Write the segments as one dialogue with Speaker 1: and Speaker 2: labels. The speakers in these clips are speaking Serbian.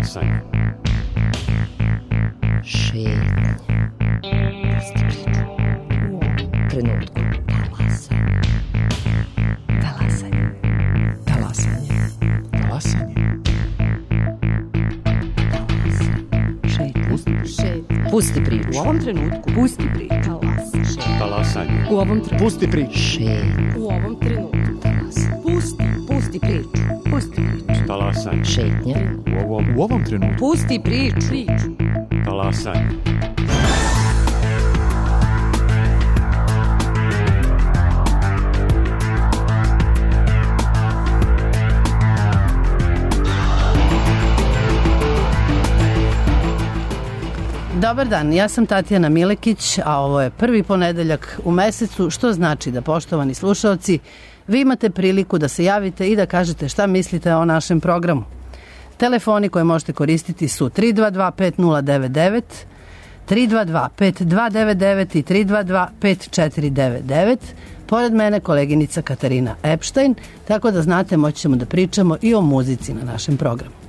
Speaker 1: Talasanje.
Speaker 2: Šetnje. Pusti priču. U ovom trenutku. Talasanje. Talasanje.
Speaker 3: Talasanje.
Speaker 2: Pusti priču.
Speaker 4: U ovom trenutku. Pusti priču.
Speaker 1: Talasanje.
Speaker 4: U ovom trenutku.
Speaker 3: Pusti priču.
Speaker 4: U ovom trenutku. Pusti priču. Pusti priču.
Speaker 1: Talasanje.
Speaker 2: Šetnja.
Speaker 3: U ovom trenutku.
Speaker 4: Pusti priču.
Speaker 1: Talasanje.
Speaker 5: Dobar dan, ja sam Tatjana Milekić, a ovo je prvi ponedeljak u mesecu, što znači da, poštovani slušaoci, vi imate priliku da se javite i da kažete šta mislite o našem programu. Telefoni koje možete koristiti su 322-5099, 322-5299 i 322-5499. Pored mene koleginica Katarina Epstein, tako da znate, moći ćemo da pričamo i o muzici na našem programu.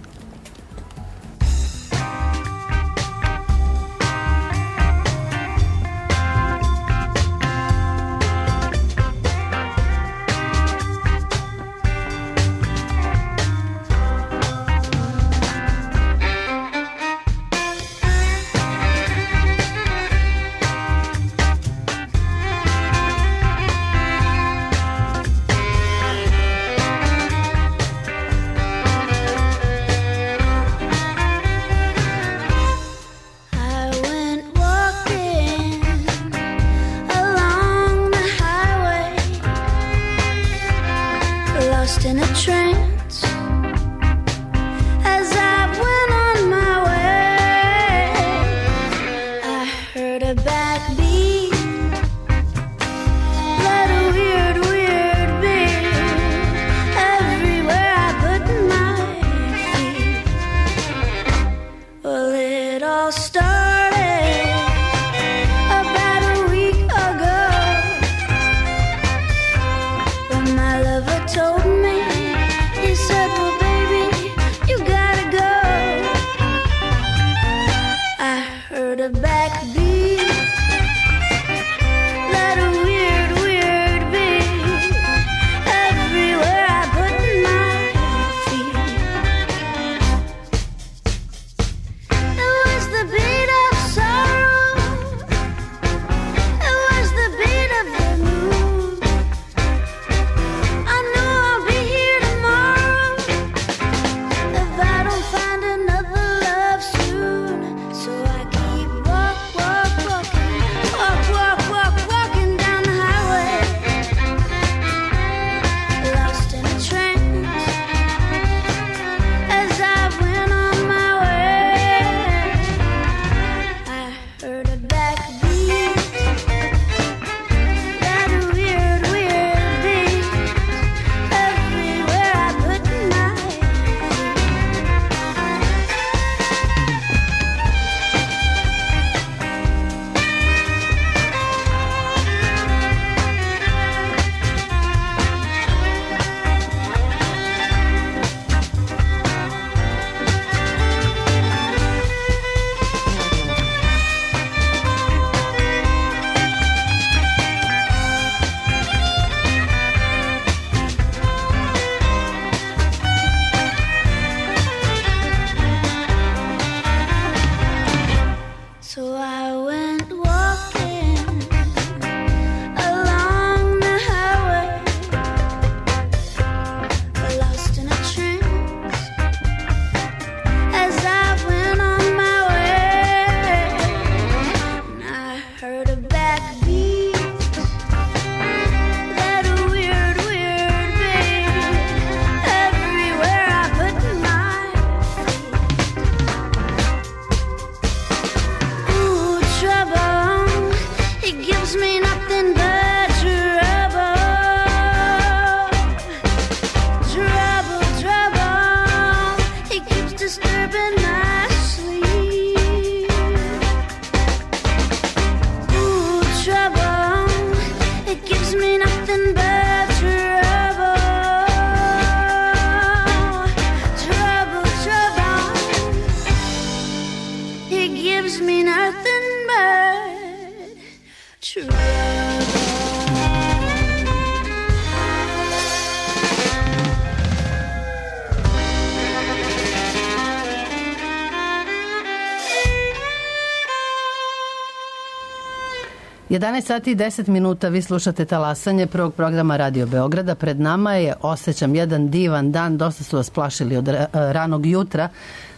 Speaker 5: 11 sati i 10 minuta, vi slušate Talasanje prvog programa Radio Beograda. Pred nama je, osjećam, jedan divan dan, dosta su vas plašili od ranog jutra,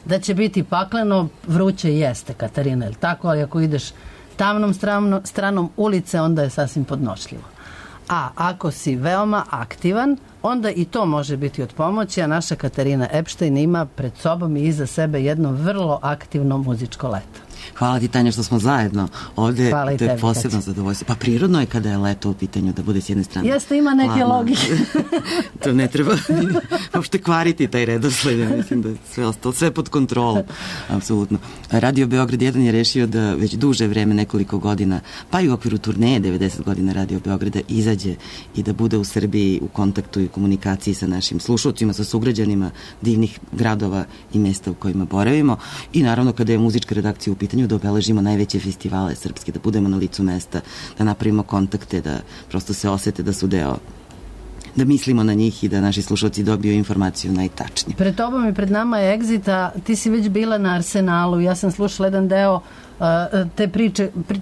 Speaker 5: da će biti pakleno, vruće jeste, Katarina, je li tako? Ali ako ideš tamnom stranom ulice, onda je sasvim podnošljivo. A ako si veoma aktivan, onda i to može biti od pomoći, a naša Katarina Epštajn ima pred sobom i iza sebe jedno vrlo aktivno muzičko leto.
Speaker 6: Hvala ti, Tanja, što smo zajedno ovde.
Speaker 5: Hvala i
Speaker 6: to je
Speaker 5: tebi,
Speaker 6: posebno zadovoljstvo. Pa prirodno je kada je leto u pitanju da bude s jedne strane.
Speaker 5: Jeste, ima neke logike.
Speaker 6: To ne treba uopšte kvariti taj redosled. Ja mislim da je sve ostalo, sve pod kontrolom. Apsolutno. Radio Beograd 1 je rešio da već duže vreme, nekoliko godina, pa i u okviru turneje 90 godina Radio Beograda, izađe i da bude u Srbiji u kontaktu i komunikaciji sa našim slušalcima, sa sugrađanima divnih gradova i mesta u kojima boravimo. I naravno kada je muzička redakcija u pitanju, da obeležimo najveće festivale srpske, da budemo na licu mesta, da napravimo kontakte, da prosto se osete da su deo, da mislimo na njih i da naši slušalci dobiju informaciju najtačnije.
Speaker 5: Pred tobom i pred nama je Exit, ti si već bila na Arsenalu, ja sam slušala jedan deo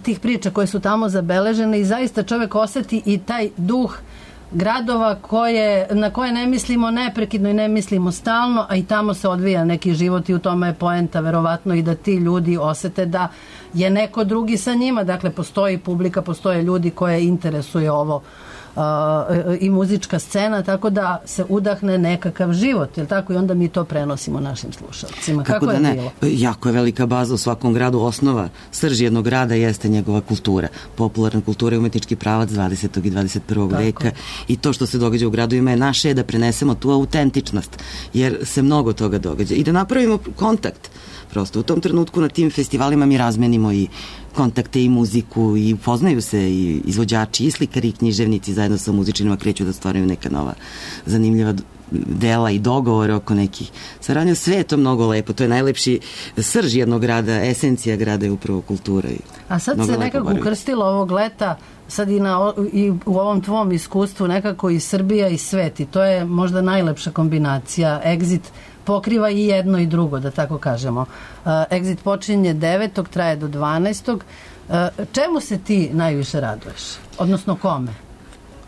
Speaker 5: tih priča koje su tamo zabeležene i zaista čovek oseti i taj duh gradova na koje ne mislimo neprekidno i ne mislimo stalno, a i tamo se odvija neki život i u tome je poenta verovatno i da ti ljudi osete da je neko drugi sa njima, dakle postoji publika, postoje ljudi koje interesuje ovo i muzička scena, tako da se udahne nekakav život, jel tako? I onda mi to prenosimo našim slušalcima. Kako je bilo?
Speaker 6: Jako je velika baza u svakom gradu. Osnova, srž jednog grada jeste njegova kultura. Popularna kultura je umetnički pravac 20. i 21. veka i to što se događa u gradovima je naše da prenesemo tu autentičnost, jer se mnogo toga događa i da napravimo kontakt. Prosto u tom trenutku na tim festivalima mi razmenimo i kontakte i muziku i upoznaju se i izvođači i slikari i književnici zajedno sa muzičarima kreću da stvaraju neka nova zanimljiva dela i dogovore oko nekih saradnja. Sve je to mnogo lepo, to je najlepši srž jednog grada, esencija grada je upravo kultura.
Speaker 5: A sad se nekako ukrstilo ovog leta, sad i u ovom tvom iskustvu nekako i Srbija i svet i to je možda najlepša kombinacija. Exit pokriva i jedno i drugo, da tako kažemo. Exit počinje 9. traje do 12. Čemu se ti najviše raduješ? Odnosno kome?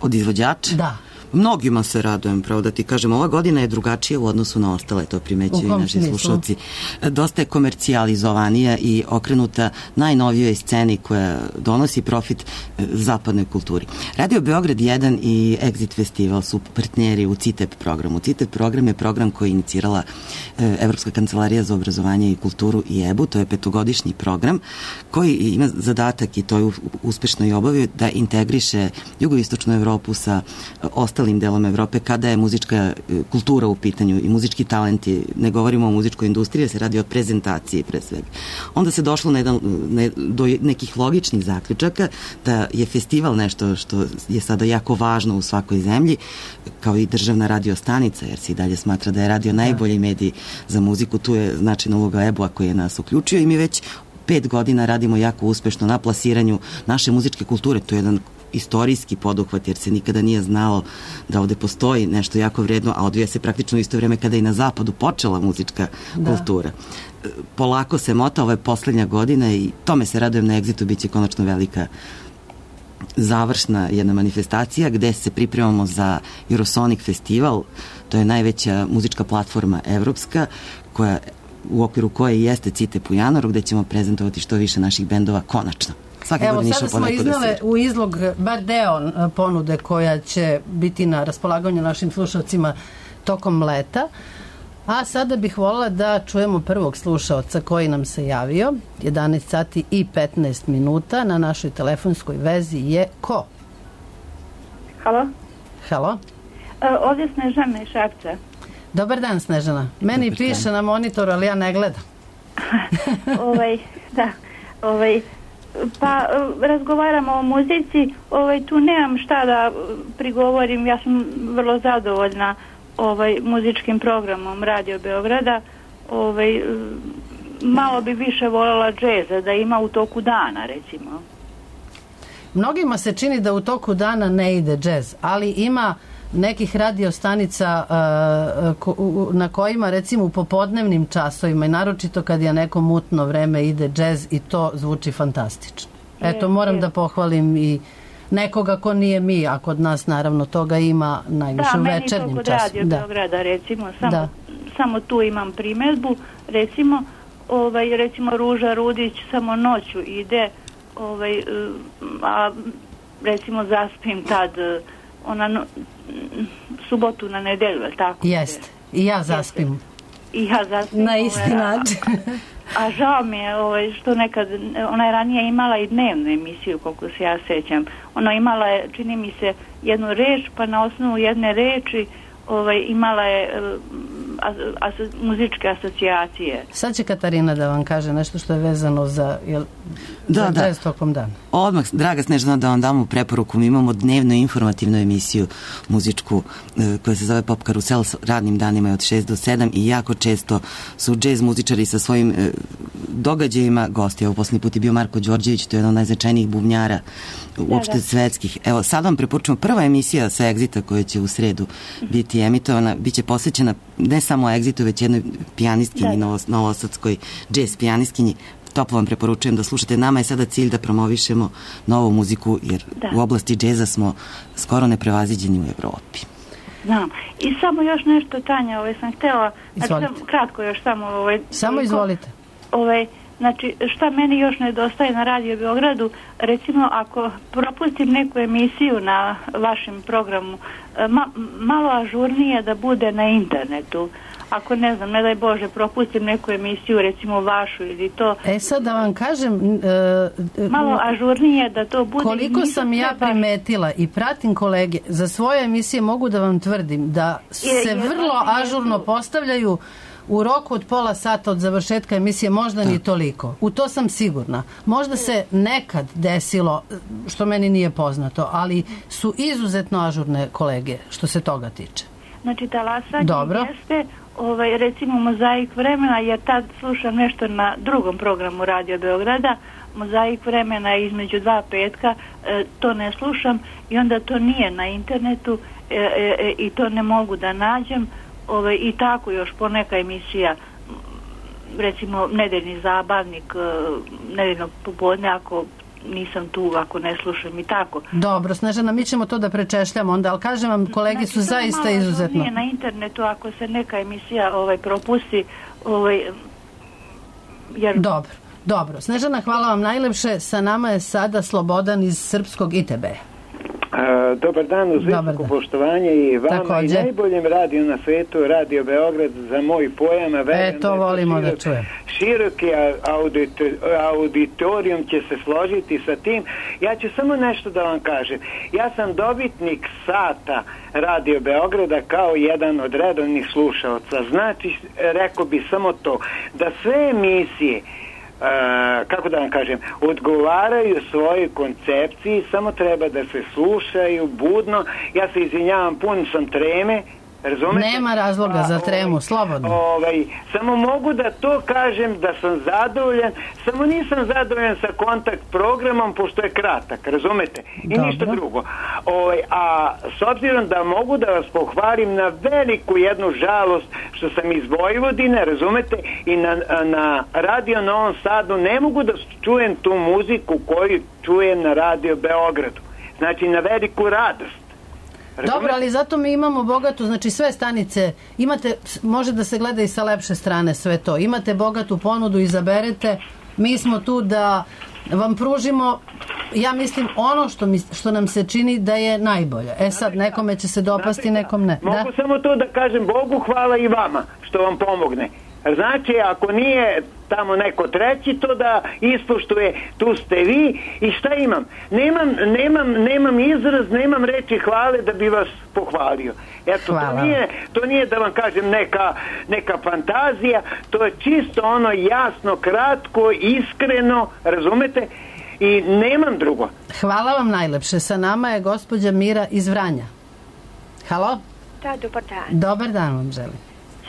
Speaker 6: Od izvođača?
Speaker 5: Da.
Speaker 6: Mnogima se radujem, pravo da ti kažem. Ova godina je drugačija u odnosu na ostale, to primećuju i naši slušalci. Dosta je komercijalizovanija i okrenuta najnovijoj sceni koja donosi profit zapadnoj kulturi. Radio Beograd 1 i Exit Festival su partneri u CITEP programu. CITEP program je program koji je inicirala Evropska kancelarija za obrazovanje i kulturu i EBU. To je 5-godišnji program koji ima zadatak, i to je uspešno i obavio, da integriše jugoistočnu Evropu sa ostalim delom Evrope kada je muzička kultura u pitanju i muzički talenti, ne govorimo o muzičkoj industriji, se radi o prezentaciji pre svega. Onda se došlo do nekih logičnih zaključaka da je festival nešto što je sada jako važno u svakoj zemlji, kao i državna radio stanica, jer se i dalje smatra da je radio najbolji medij za muziku. Tu je značajna uloga EBU-a koji je nas uključio i mi već 5 godina radimo jako uspešno na plasiranju naše muzičke kulture. To je jedan istorijski poduhvat, jer se nikada nije znalo da ovde postoji nešto jako vredno, a odvija se praktično u isto vreme kada je na zapadu počela muzička kultura. Polako se mota, ovo je poslednja godina i tome se radujem na Exitu, bit će konačno velika završna jedna manifestacija gde se pripremamo za Eurosonic festival. To je najveća muzička platforma evropska, koja u okviru koje jeste CITEP u januaru, gde ćemo prezentovati što više naših bendova konačno.
Speaker 5: Evo, sada smo iznale u izlog bar deo ponude koja će biti na raspolaganju našim slušalcima tokom leta, a sada bih voljela da čujemo prvog slušalca koji nam se javio. 11 sati i 15 minuta na našoj telefonskoj vezi je ko?
Speaker 7: Halo?
Speaker 5: Halo?
Speaker 7: Ovdje Snežana iz Šapca.
Speaker 5: Dobar dan, Snežana. Meni piše na monitoru, ali ja ne gledam.
Speaker 7: Da. Pa razgovaramo o muzici, tu nemam šta da prigovorim, ja sam vrlo zadovoljna muzičkim programom Radio Beograda. Malo bi više voljela džeza da ima u toku dana, recimo.
Speaker 5: Mnogima se čini da u toku dana ne ide džez, ali ima nekih radiostanica na kojima recimo u popodnevnim časovima i naročito kad je neko mutno vreme ide džez i to zvuči fantastično. Eto, moram da pohvalim i nekoga ko nije mi, a kod nas naravno toga ima najviše u večernjem času.
Speaker 7: Da, meni to kod Radio Beograda, recimo, samo tu imam primedbu, recimo Ruža Rudić samo noću ide, a recimo zaspim tad subotu na nedelju, je li tako?
Speaker 5: Jeste, i ja zaspim.
Speaker 7: I ja zaspim.
Speaker 5: Na isti način.
Speaker 7: A žao mi je što nekad, ona je ranije imala i dnevnu emisiju, koliko se ja sećam. Ona imala je, čini mi se, jednu reč, pa na osnovu jedne reči imala je muzičke asocijacije.
Speaker 5: Sad će Katarina da vam kaže nešto što je vezano za jazz tokom dana.
Speaker 6: Odmah, draga Snežana, da vam damo preporuku. Mi imamo dnevno informativnu emisiju muzičku koja se zove Pop Karusel, s radnim danima je od 6 do 7 i jako često su džez muzičari sa svojim događajima gosti. Evo, poslednji put je bio Marko Đorđević, to je jedan od najznačajnijih bubnjara uopšte svetskih. Evo, sad vam preporučujemo prva emisija sa Exita koja će u sredu biti emitovana, biće posvećena ne samo Exitu, već jednoj pijanistkinji, novosadskoj džez pijanistkinji. Toplo vam preporučujem da slušate. Nama je sada cilj da promovišemo novu muziku, jer u oblasti džeza smo skoro neprevaziđeni u Evropi.
Speaker 7: Znam. I samo još nešto, Tanja, sam htjela, kratko još samo...
Speaker 5: Samo izvolite.
Speaker 7: Znači, šta meni još nedostaje na Radio Beogradu, recimo ako propustim neku emisiju na vašem programu, malo ažurnije da bude na internetu. Ako ne znam, ne daj Bože, propustim neku emisiju, recimo vašu ili to.
Speaker 5: Sad da vam kažem...
Speaker 7: malo ažurnije da to bude...
Speaker 5: Koliko sam ja primetila i pratim kolege, za svoje emisije mogu da vam tvrdim da se vrlo ažurno postavljaju u roku od pola sata od završetka emisije, možda ni toliko. U to sam sigurna. Možda se nekad desilo, što meni nije poznato, ali su izuzetno ažurne kolege što se toga tiče.
Speaker 7: Znači, talasanje jeste, recimo Mozaik vremena, jer tad slušam nešto na drugom programu Radio Beograda, Mozaik vremena je između 2 petka, to ne slušam i onda to nije na internetu i to ne mogu da nađem. I tako još poneka emisija, recimo Nedeljni zabavnik, nedeljnog popodne, ako nisam tu, ako ne slušam i tako.
Speaker 5: Dobro, Snežana, mi ćemo to da prečešljamo onda, ali kažem vam, kolegi su zaista izuzetno.
Speaker 7: Nije na internetu, ako se neka emisija propusti, jer...
Speaker 5: Dobro. Snežana, hvala vam najlepše. Sa nama je sada Slobodan iz Srpskog ITB-a.
Speaker 8: Dobar dan, uz visoko poštovanje i vama i najboljem radiju na svetu, Radio Beograd, za moj pojam.
Speaker 5: To volimo da čujem.
Speaker 8: Široki auditorijum će se složiti sa tim. Ja ću samo nešto da vam kažem. Ja sam dobitnik sata Radio Beograda kao jedan od redovnih slušaoca. Znači, rekao bi samo to, da sve emisije kako da vam kažem, odgovaraju svojoj koncepciji, samo treba da se slušaju budno. Ja se izvinjavam, pun sam treme, razumete?
Speaker 5: Nema razloga za tremu, slobodno.
Speaker 8: Samo mogu da to kažem da sam zadovoljan, samo nisam zadovoljan sa kontakt programom pošto je kratak, razumete? I ništa drugo. A s obzirom da mogu da vas pohvalim na veliku jednu žalost što sam iz Vojvodine, razumete, i na Radio Novom Sadu ne mogu da čujem tu muziku koju čujem na Radio Beogradu. Znači, na veliku radost.
Speaker 5: Dobro, ali zato mi imamo bogatu, znači sve stanice, može da se gleda i sa lepše strane sve to. Imate bogatu ponudu, izaberete, mi smo tu da vam pružimo, ja mislim, ono što nam se čini da je najbolje. Sad, nekome će se dopasti, nekom ne.
Speaker 8: Mogu samo to da kažem, Bogu hvala i vama što vam pomogne. Znači, ako nije tamo neko treći, to da ispoštuje, tu ste vi i šta imam? Nemam izraz, nemam reči hvale da bi vas pohvalio. Eto, to nije da vam kažem neka fantazija, to je čisto ono jasno, kratko, iskreno, razumete? I nemam drugo.
Speaker 5: Hvala vam najlepše. Sa nama je gospođa Mira iz Vranja. Halo?
Speaker 9: Da, dobar dan.
Speaker 5: Dobar dan vam želim.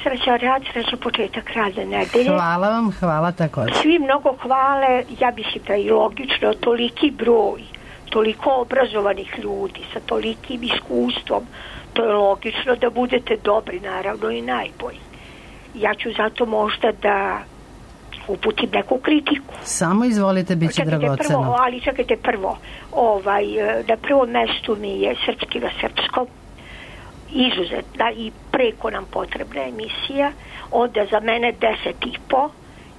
Speaker 9: Srećan rad, srećan početak radne nedelje.
Speaker 5: Hvala vam, hvala također.
Speaker 9: Svi mnogo hvale, ja mislim da je logično, toliki broj, toliko obrazovanih ljudi sa tolikim iskustvom, to je logično da budete dobri, naravno i najbolji. Ja ću zato možda da uputim neku kritiku.
Speaker 5: Samo izvolite, bit će dragoceno.
Speaker 9: Ali čekajte prvo, na prvom mestu mi je Srpski na srpskom, izuzetna i preko nam potrebna emisija, onda za mene 10,5,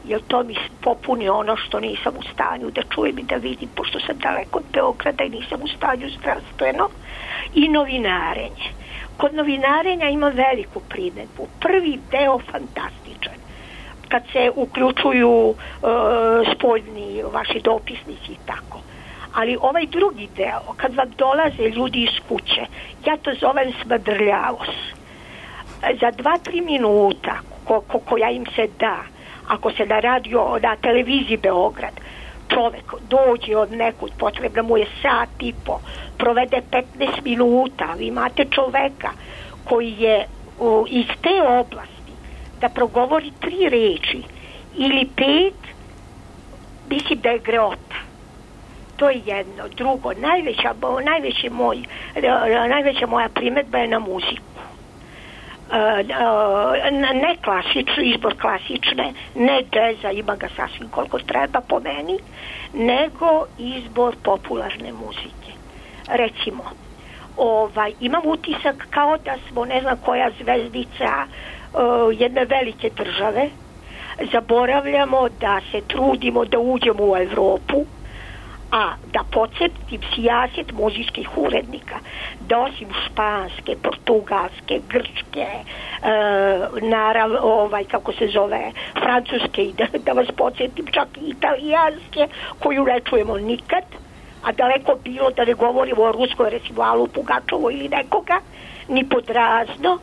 Speaker 9: jer to mi popuni ono što nisam u stanju da čujem i da vidim, pošto sam daleko od Beograda i nisam u stanju zdravstveno, i novinarenje. Kod novinarenja ima veliku primedbu. Prvi deo fantastičan, kad se uključuju spoljni vaši dopisnici i tako. Ali ovaj drugi deo, kad vam dolaze ljudi iz kuće, ja to zovem smrdrljavost. Za 2-3 minuta koja im se da, ako se na televiziji Beograd čovek dođe od nekud, potrebno mu je 1,5 sata, provede 15 minuta, vi imate čoveka koji je iz te oblasti da progovori 3 reči ili 5, mislim da je greota. To je jedno. Drugo, najveća moja primedba je na muziku. Ne klasični, izbor klasične, ne džeza, ima ga sasvim koliko treba po meni, nego izbor popularne muzike. Recimo, imam utisak kao da smo ne znam koja zvezdica jedne velike države, zaboravljamo da se trudimo da uđemo u Evropu, a da podsjetim sijaset muzičkih urednika, da osim španske, portugalske, grčke, francuske i da vas podsjetim čak i italijanske, koju ne čujemo nikad, a daleko bilo da ne govorimo o ruskoj, recimo Alu Pugačovu ili nekoga, ni pod razno.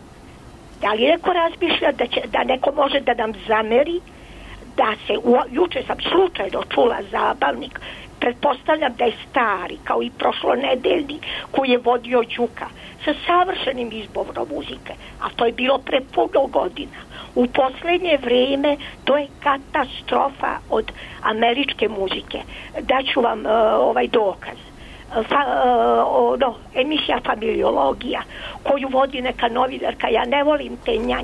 Speaker 9: Da li neko razmišlja da neko može da nam zameri da se, juče sam slučajno čula zabavnik, pretpostavljam da je stari, kao i prošlonedeljni, koji je vodio Đuka, sa savršenim izborom muzike, a to je bilo pre puno godina. U poslednje vreme to je katastrofa od američke muzike. Daću vam dokaz. Emisija Familiologija, koju vodi neka novinarka, ja ne volim te nja.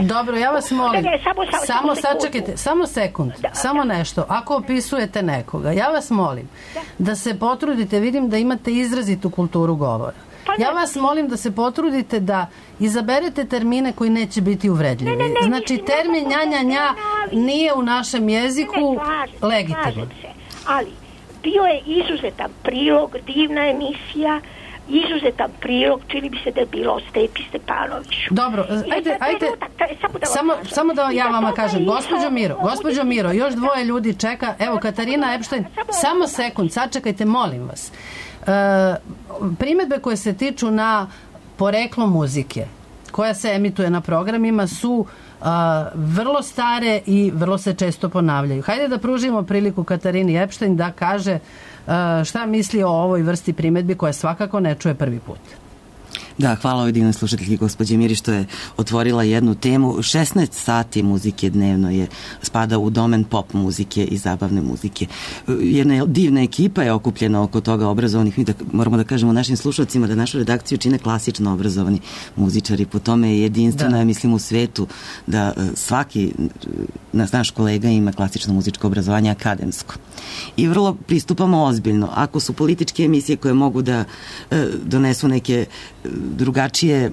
Speaker 5: Dobro, ja vas molim, samo sačekajte, samo sekund, samo nešto, ako opisujete nekoga, ja vas molim da se potrudite, vidim da imate izrazitu kulturu govora. Ja vas molim da se potrudite da izaberete termine koji neće biti uvredljivi. Znači, termin nja nije u našem jeziku legitiman.
Speaker 9: Ali bio je izuzetan prilog, divna emisija, izuzetan prilog, čini mi se da je bilo o Stepi Stepanoviću.
Speaker 5: Dobro, ajde, samo da ja vama kažem, gospođo Miro, još 2 ljudi čeka, evo Katarina Epštajn, samo sekund, sačekajte, molim vas. Primedbe koje se tiču na poreklo muzike, koja se emituje na programima, su vrlo stare i vrlo se često ponavljaju. Hajde da pružimo priliku Katarini Epštajn da kaže šta misli o ovoj vrsti primedbi koja svakako ne čuje prvi put.
Speaker 6: Da, hvala ovoj divnoj slušateljki gospođe Miri što je otvorila jednu temu. 16 sati muzike dnevno spada u domen pop muzike i zabavne muzike. Jedna divna ekipa je okupljena oko toga, obrazovanih. Mi moramo da kažemo našim slušalcima da našu redakciju čine klasično obrazovani muzičari. Po tome je jedinstveno, ja mislim, u svetu da svaki naš kolega ima klasično muzičko obrazovanje akademsko. I vrlo pristupamo ozbiljno. Ako su političke emisije koje mogu da donesu neke drugačije,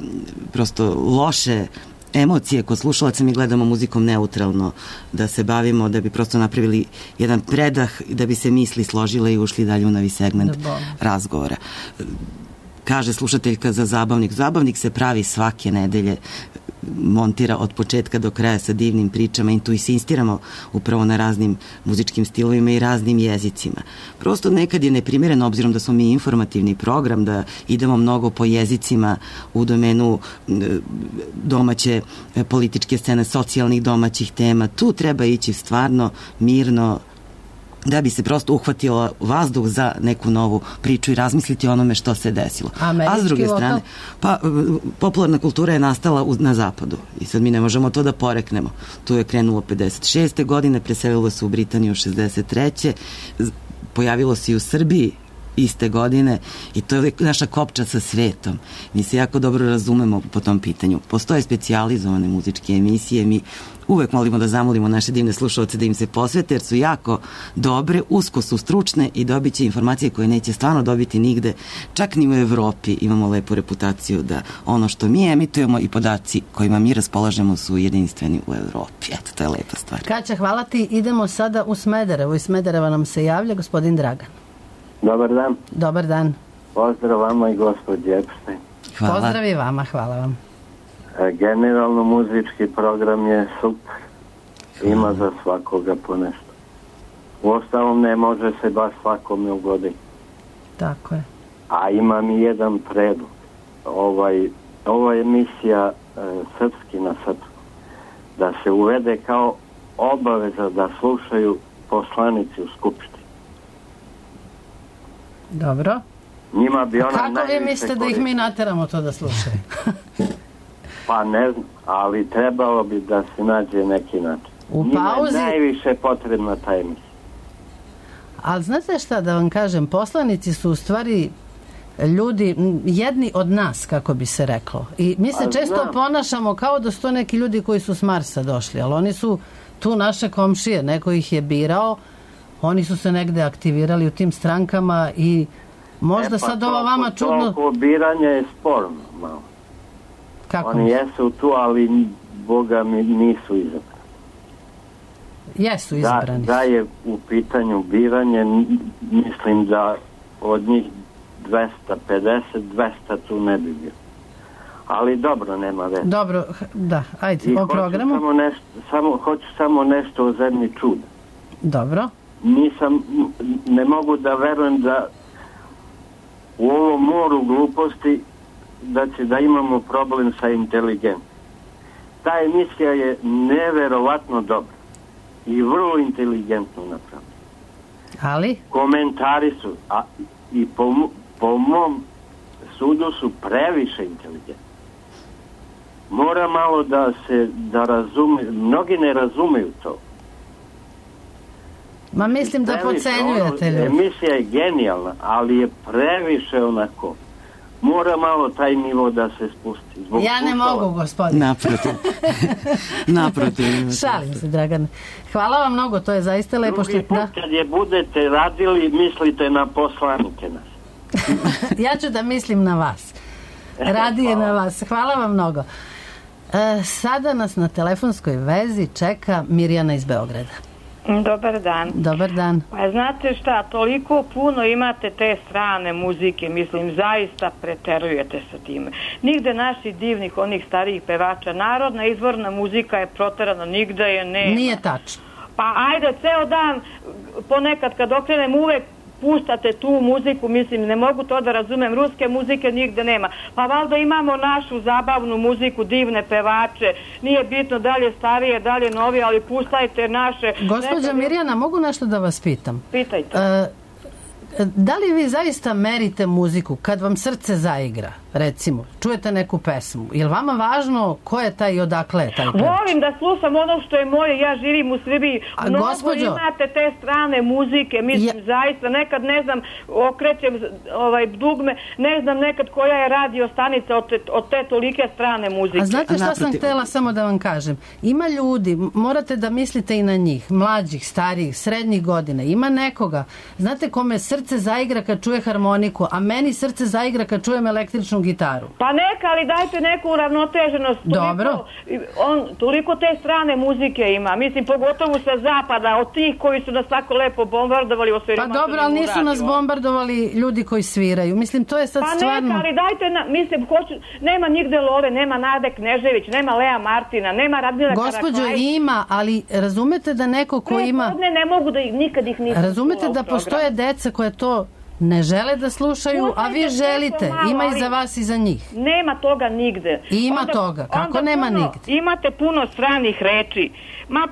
Speaker 6: prosto loše emocije kod slušalaca, mi gledamo muzikom neutralno, da se bavimo, da bi prosto napravili jedan predah, da bi se misli složile i ušli dalje u novi segment razgovora. Kaže slušateljka za zabavnik. Zabavnik se pravi svake nedelje, montira od početka do kraja sa divnim pričama i tu insistiramo upravo na raznim muzičkim stilovima i raznim jezicima. Prosto nekad je neprimjereno, obzirom da smo mi informativni program, da idemo mnogo po jezicima u domenu domaće političke scene, socijalnih domaćih tema. Tu treba ići stvarno mirno, da bi se prosto uhvatilo vazduh za neku novu priču i razmisliti o onome što se desilo. A s druge strane, popularna kultura je nastala na zapadu i sad mi ne možemo to da poreknemo. Tu je krenulo 56. godine, preselilo se u Britaniju 63. Pojavilo se i u Srbiji iste godine i to je naša kopča sa svetom. Mi se jako dobro razumemo po tom pitanju. Postoje specijalizovane muzičke emisije, mi uvek molimo da zamolimo naše divne slušalce da im se posvete, jer su jako dobre, usko su stručne i dobit će informacije koje neće stvarno dobiti nigde, čak ni u Evropi. Imamo lepu reputaciju da ono što mi emitujemo i podaci kojima mi raspolažemo su jedinstveni u Evropi. Eto, to je lepa stvar.
Speaker 5: Kaća, hvala ti. Idemo sada u Smederevo. Iz Smedereva nam se javlja gospodin Dragan.
Speaker 10: Dobar dan.
Speaker 5: Dobar dan.
Speaker 10: Pozdrav vama i gospođi Epstein.
Speaker 6: Hvala.
Speaker 5: Pozdrav i vama, hvala vam.
Speaker 10: Generalno muzički program je super. Ima za svakoga po nešto. Uostalom ne može se baš svakome ugoditi.
Speaker 5: Tako je.
Speaker 10: A imam i jedan predlog. Ova emisija Srpski na srpskom da se uvede kao obaveza da slušaju poslanici u Skupštini.
Speaker 5: Dobro.
Speaker 10: Njima bi ona
Speaker 5: kako vi mislite da ih mi nateramo to da slušaju?
Speaker 10: Pa ne znam, ali trebalo bi da se nađe neki način.
Speaker 5: U
Speaker 10: Njima
Speaker 5: pauzi...
Speaker 10: je najviše potrebna ta emisija.
Speaker 5: Ali znate šta da vam kažem, poslanici su u stvari ljudi, jedni od nas, kako bi se reklo. I mi se često ponašamo kao da su to neki ljudi koji su s Marsa došli, ali oni su tu naše komšije, neko ih je birao, oni su se negde aktivirali u tim strankama i možda sad ovo vama čudno...
Speaker 10: Toliko biranje je sporno malo.
Speaker 5: Kako?
Speaker 10: Oni jesu tu, ali Boga mi nisu izabrani.
Speaker 5: Jesu izabrani.
Speaker 10: Da je u pitanju biranje, mislim da od njih 250, 200 tu ne bi bilo. Ali dobro, nema veze.
Speaker 5: Dobro, da, ajde, o programu.
Speaker 10: Hoću samo nešto o zemlji čuda.
Speaker 5: Dobro.
Speaker 10: Ne mogu da verujem da u ovom moru gluposti da imamo problem sa inteligencijom. Ta emisija je neverovatno dobra i vrlo inteligentno napravljena.
Speaker 5: Ali? Komentari su,
Speaker 10: i po mom sudu su previše inteligentni. Mora malo da razume, mnogi ne razumeju to.
Speaker 5: Ma mislim da podcenjujete ljudi.
Speaker 10: Emisija je genijalna, ali je previše onako. Mora malo taj nivo da se spusti.
Speaker 5: Ja ne mogu, gospodin.
Speaker 6: Naprotiv.
Speaker 5: Šalim se, Dragan. Hvala vam mnogo, to je zaista lepo.
Speaker 10: Drugi put kad je budete radili, mislite na poslanike nas.
Speaker 5: Ja ću da mislim na vas. Radije na vas. Hvala vam mnogo. Sada nas na telefonskoj vezi čeka Mirjana iz Beograda.
Speaker 11: Dobar dan.
Speaker 5: Dobar dan.
Speaker 11: Pa znate šta, toliko puno imate te strane muzike, mislim, zaista preterujete sa time. Nigde naših divnih, onih starijih pevača, narodna izvorna muzika je proterana, nigde je nema.
Speaker 5: Nije tačno.
Speaker 11: Pa ajde, ceo dan, ponekad kad okrenem uvek puštate tu muziku, mislim, ne mogu to da razumem, ruske muzike nigde nema. Pa valjda imamo našu zabavnu muziku, divne pevače, nije bitno da li je starije, da li je novije, ali puštajte naše...
Speaker 5: Gospođa Mirjana, mogu nešto da vas pitam?
Speaker 11: Pitajte.
Speaker 5: Da li vi zaista merite muziku kad vam srce zaigra, recimo, čujete neku pesmu? Je li vama važno ko je taj i odakle je taj pevač?
Speaker 11: Volim da slušam ono što je moje, ja živim u Srbiji. Mnogo imate te strane muzike, mislim, zaista, nekad ne znam, okrećem dugme, ne znam nekad koja je radio stanica od te tolike strane muzike.
Speaker 5: A znate šta sam htjela samo da vam kažem? Ima ljudi, morate da mislite i na njih, mlađih, starijih, srednjih godina, ima nekoga, znate kome srce zaigra kad čuje harmoniku, a meni srce zaigra kad čujem električnu gitaru.
Speaker 11: Pa neka, ali dajte neku uravnoteženost.
Speaker 5: Dobro.
Speaker 11: Toliko te strane muzike ima. Mislim, pogotovo sa zapada, od tih koji su nas tako lepo bombardovali.
Speaker 5: Pa dobro, ali nisu nas bombardovali ljudi koji sviraju. Mislim, to je sad stvarno...
Speaker 11: Pa neka, ali dajte, mislim, nema nigde Love, nema Nade Knežević, nema Lea Martina, nema Radmila Karakaj.
Speaker 5: Gospođo, ima, ali razumete da neko ko ima...
Speaker 11: Ne mogu da nikad ih nisam...
Speaker 5: Razumete da postoje deca koje to ne žele da slušaju, a vi želite. Ima i za vas i za njih.
Speaker 11: Nema toga nigde.
Speaker 5: Ima toga. Kako nema nigde?
Speaker 11: Imate puno stranih reči.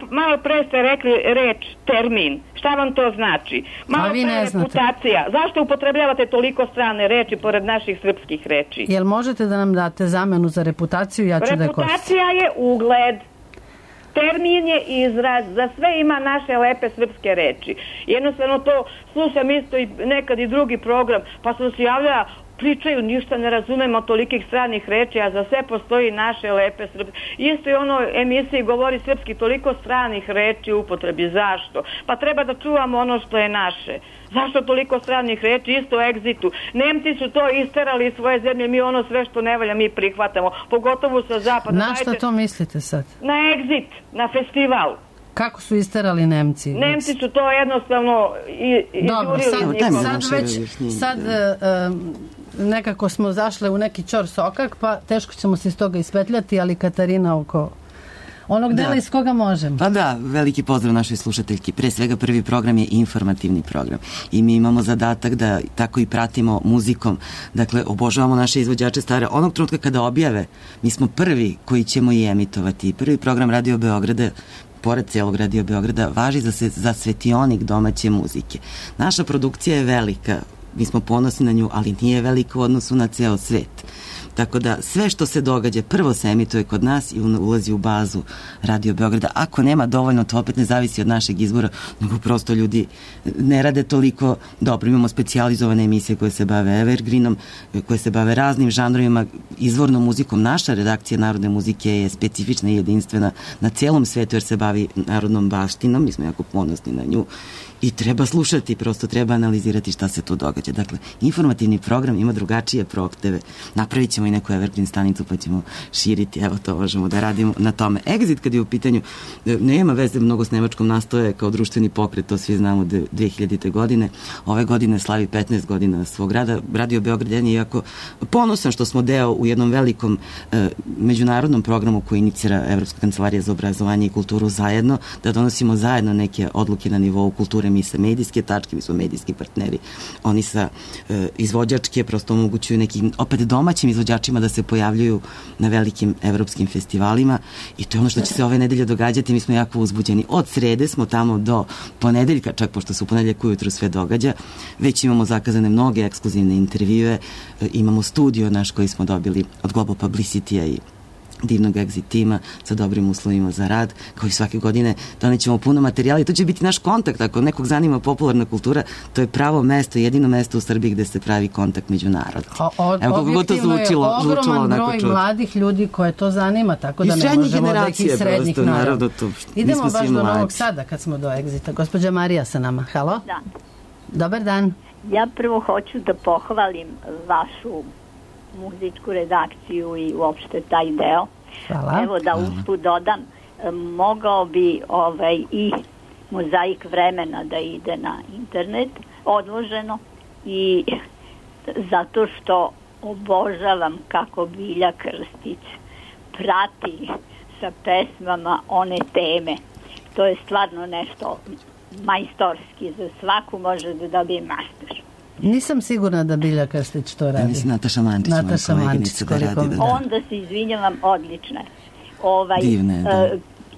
Speaker 11: Malo pre ste rekli reč termin. Šta vam to znači? Malo pre reputacija. Zašto upotrebljavate toliko strane reči pored naših srpskih reči?
Speaker 5: Jel možete da nam date zamenu za reputaciju? Ja ću da je koristim.
Speaker 11: Reputacija je ugled. termin je izraz, za sve ima naše lepe srpske reči. Jednostavno to slušam isto i nekad i drugi program, pa sam se javljala, pričaju, ništa ne razumemo tolikih stranih reči, a za sve postoji naše lepe srpske. Isto i ono emisiji govori srpski, toliko stranih reči u upotrebi. Zašto? Pa treba da čuvamo ono što je naše. Zašto toliko stranih reči? Isto u Exitu. Nemci su to isterali iz svoje zemlje, mi ono sve što ne valja mi prihvatamo, pogotovo sa zapada.
Speaker 5: Na šta to mislite sad?
Speaker 11: Na Exit, na festival.
Speaker 5: Kako su isterali Nemci?
Speaker 11: Nemci su to jednostavno
Speaker 5: izjurili. Sad nekako smo zašle u neki čor sokak, pa teško ćemo se iz toga ispetljati, ali Katarina oko onog dela iz koga možemo.
Speaker 6: Pa da, veliki pozdrav našoj slušateljki. Pre svega prvi program je informativni program i mi imamo zadatak da tako i pratimo muzikom. Dakle, obožavamo naše izvođače stare. Onog trenutka kada objave, mi smo prvi koji ćemo i emitovati. Prvi program Radio Beograda, pored celog Radio Beograda, važi za svetionik domaće muzike. Naša produkcija je velika, mi smo ponosni na nju, ali nije velika u odnosu na ceo svet. Tako da sve što se događa prvo se emituje kod nas i ulazi u bazu Radio Beograda. Ako nema dovoljno, to opet ne zavisi od našeg izbora, nego prosto ljudi ne rade toliko dobro. Imamo specijalizovane emisije koje se bave evergreenom, koje se bave raznim žanrovima, izvornom muzikom. Naša redakcija narodne muzike je specifična i jedinstvena na celom svetu jer se bavi narodnom baštinom. Mi smo jako ponosni na nju. I treba slušati, prosto treba analizirati šta se tu događa. Dakle, informativni program ima drugačije prohteve. Napravit ćemo i neku evergreen stanicu pa ćemo širiti. Evo to možemo da radimo na tome. Exit kad je u pitanju, nema veze mnogo s Nemačkom, nastoje kao društveni pokret, to svi znamo 2000. godine. Ove godine slavi 15 godina svog rada. Radio Beograd je jako ponosan što smo deo u jednom velikom međunarodnom programu koji inicira Evropska kancelarija za obrazovanje i kulturu zajedno, da donosimo zajedno neke odluke na nivou kulture. Mi sa medijske tačke, mi smo medijski partneri, oni sa izvođačke prosto omogućuju nekim opet domaćim izvođačima da se pojavljuju na velikim evropskim festivalima i to je ono što će se ove nedelje događati. Mi smo jako uzbuđeni. Od srede smo tamo do ponedeljka, čak pošto se u ponedeljak ujutru sve događa, već imamo zakazane mnoge ekskluzivne intervjue, imamo studio naš koji smo dobili od Global Publicity-a i divnog Exit tima sa dobrim uslovima za rad, kao i svake godine donećemo puno materijala i to će biti naš kontakt. Ako nekog zanima popularna kultura, to je pravo mesto, jedino mesto u Srbiji gde se pravi kontakt među narodom.
Speaker 5: Objektivno je ogroman broj mladih ljudi koje to zanima, tako da ne možemo da ih iz srednjih naravno. Idemo baš do Novog Sada kad smo do Exita. Gospođa Marija sa nama. Halo?
Speaker 12: Da.
Speaker 5: Dobar dan.
Speaker 12: Ja prvo hoću da pohvalim vašu muzičku redakciju i uopšte taj deo.
Speaker 5: Hvala.
Speaker 12: Evo da usput dodam, mogao bi i mozaik vremena da ide na internet odloženo i zato što obožavam kako Bilja Krstić prati sa pesmama one teme. To je stvarno nešto majstorski, za svaku može da dobije master.
Speaker 5: Nisam sigurna da Bilja Krstić to radi.
Speaker 6: Mislim Nataša Mančić,
Speaker 12: Onda se izvinjavam, odlična.
Speaker 6: Divne, da.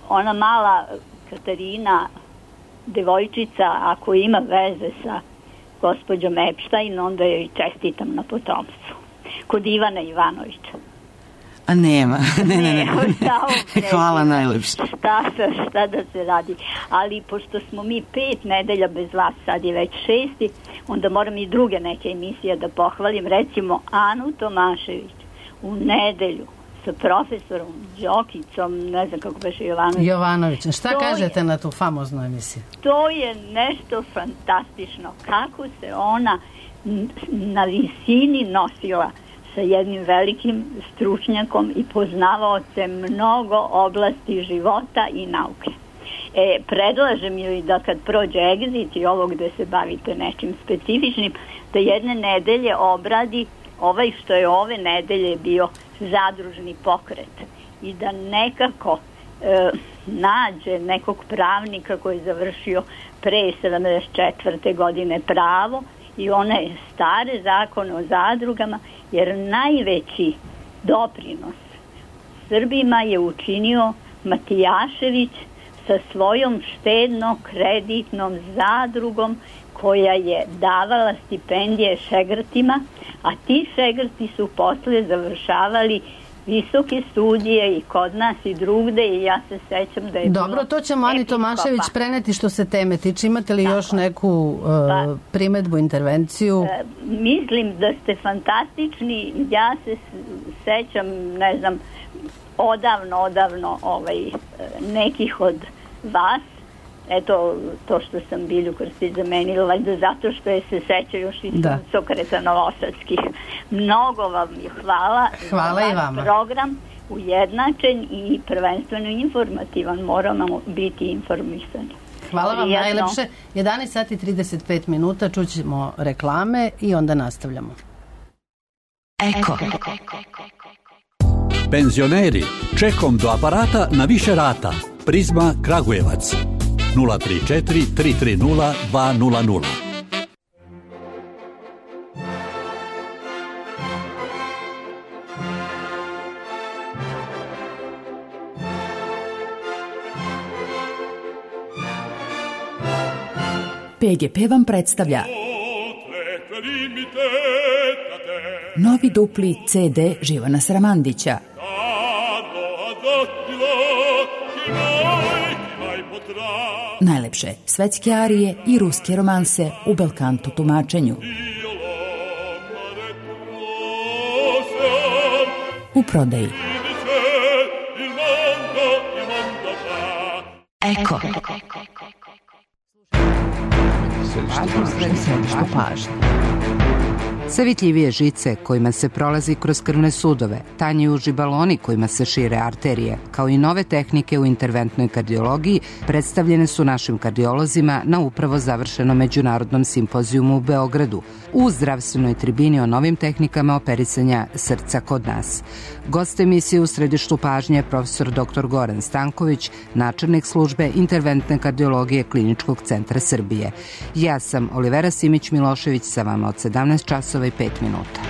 Speaker 12: Ona mala Katarina, devojčica, ako ima veze sa gospođom Epstein, onda joj čestitam na potomstvu. Kod Ivana Ivanovića.
Speaker 6: A nema, ne. Hvala najlepše.
Speaker 12: Šta da se radi. Ali pošto smo mi 5 nedelja bez vas, sad je već 6, onda moram i druge neke emisije da pohvalim. Recimo Anu Tomašević u nedelju sa profesorom Đokicom, ne znam kako beše
Speaker 5: Jovanović. Šta kažete na tu famoznu emisiju?
Speaker 12: To je nešto fantastično. Kako se ona na visini nosila sa jednim velikim stručnjakom i poznavaocem mnogo oblasti života i nauke. Predlažem joj da kad prođe Exit i ovo gde se bavite nečim specifičnim, da jedne nedelje obradi što je ove nedelje bio zadružni pokret i da nekako nađe nekog pravnika koji je završio pre 74. godine pravo i one stare zakone o zadrugama, jer najveći doprinos Srbima je učinio Matijašević sa svojom štedno-kreditnom zadrugom koja je davala stipendije šegrtima, a ti šegrti su posle završavali visoke studije i kod nas i drugde i ja se sećam da je
Speaker 5: Dobro, to ćemo Ani Tomašević preneti što se teme tiče. Imate li još neku primedbu, intervenciju?
Speaker 12: Mislim da ste fantastični. Ja se sećam, ne znam, odavno nekih od vas. Eto, to što sam Bilju Krstić zamenila, valjda zato što je se seća još i Sokreta Novosadskih. Mnogo vam je hvala.
Speaker 5: Hvala i vama.
Speaker 12: Program ujednačen i prvenstveno informativan. Moramo biti informisani.
Speaker 5: Hvala vam najlepše. 11 sati 35 minuta, čućemo reklame i onda nastavljamo.
Speaker 13: Eko. Penzioneri, čekom do aparata na više rata. Prizma Kragujevac. 034 330 200.
Speaker 14: PGP vam predstavlja novi dupli CD Živana Sramandića. Najlepše svetske arije i ruske romanse u belkanto tumačenju. U prodaji.
Speaker 2: Eko. Središte pažnje. Sve vidljivije žice kojima se prolazi kroz krvne sudove, tanji uži baloni kojima se šire arterije, kao i nove tehnike u interventnoj kardiologiji predstavljene su našim kardiolozima na upravo završenom međunarodnom simpozijumu u Beogradu, u zdravstvenoj tribini o novim tehnikama operisanja srca kod nas. Gost emisije u središtu pažnje je profesor dr. Goran Stanković, načelnik službe interventne kardiologije Kliničkog centra Srbije. Ja sam Olivera Simić-Milošević sa vama od 17 časova i 5 minuta.